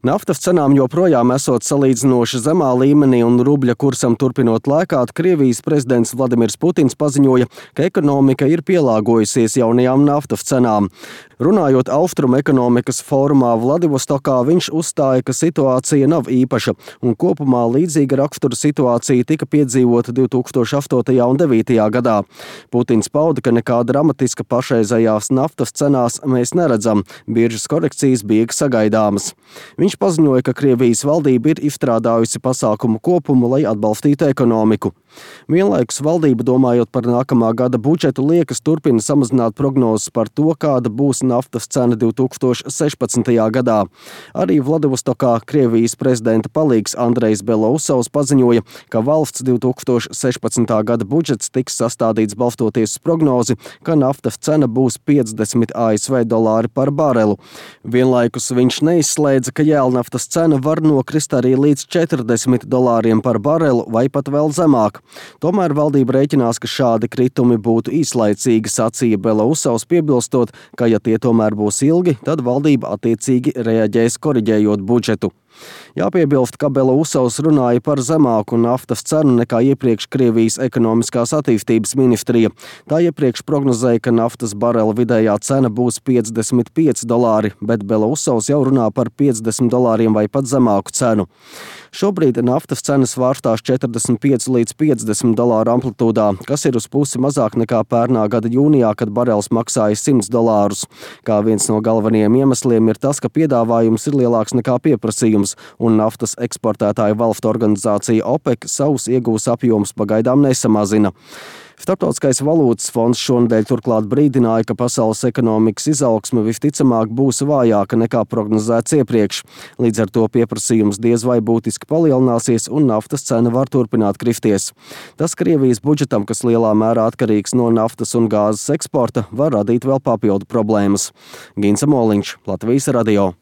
Naftas cenām joprojām esot salīdzinoši zemā līmenī un rubļa kursam turpinot lēkāt, Krievijas prezidents Vladimirs Putins paziņoja, ka ekonomika ir pielāgojusies jaunajām naftas cenām. Runājot Austrumu ekonomikas fórumā Vladivostokā, viņš uzstāja, ka situācija nav īpaša un kopumā līdzīga rakstura situācija tika piedzīvota 2008. un 2009. gadā. Putins pauda, ka nekā dramatiska pašreizējās naftas cenās mēs neredzam, biržas korekcijas bija sagaidāmas. Viņš paziņoja, ka Krievijas valdība ir izstrādājusi pasākumu kopumu, lai atbalstītu ekonomiku. Vienlaikus valdība, domājot par nākamā gada budžetu, liekas turpina samazināt prognozes par to, kāda būs naftas cena 2016. gadā. Arī Vladivostokā Krievijas prezidenta palīgs Andrejs Belousovs paziņoja, ka valsts 2016. gada budžets tiks sastādīts balstoties uz prognozi, ka naftas cena būs 50 ASV dolāri par barelu. Vienlaikus viņš neizslēdza, ka jēlnaftas cena var nokrist arī līdz 40 dolāriem par barelu vai pat vēl zemāk. Tomēr valdība rēķinās, ka šādi kritumi būtu īslaicīgi, sacīja Belousovs, piebilstot, ka ja tie tomēr būs ilgi, tad valdība attiecīgi reaģēs koriģējot budžetu. Jāpiebilst, ka Belousovs runāja par zemāku naftas cenu nekā iepriekš Krievijas ekonomiskās attīstības ministrija. Tā iepriekš prognozēja, ka naftas barela vidējā cena būs 55 dolāri, bet Belousovs jau runā par 50 dolāriem vai pat zemāku cenu. Šobrīd naftas cenas svārstās 45 līdz 50 dolāru amplitūdā, kas ir uz pusi mazāk nekā pērnā gada jūnijā, kad barels maksāja 100 dolārus. Kā viens no galvenajiem iemesliem ir tas, ka piedāvājums ir lielāks nekā pieprasījums, un naftas eksportētāju valstu organizācija OPEC savus iegūs apjomus pagaidām nesamazina. Starptautiskais valūtas fonds šonedēļ turklāt brīdināja, ka pasaules ekonomikas izaugsme visticamāk būs vājāka nekā prognozēts iepriekš. Līdz ar to pieprasījums diez vai būtiski palielināsies un naftas cena var turpināt kristies. Tas Krievijas budžetam, kas lielā mērā atkarīgs no naftas un gāzes eksporta, var radīt vēl papildu problēmas. Ginsa Moliņš, Latvijas radio.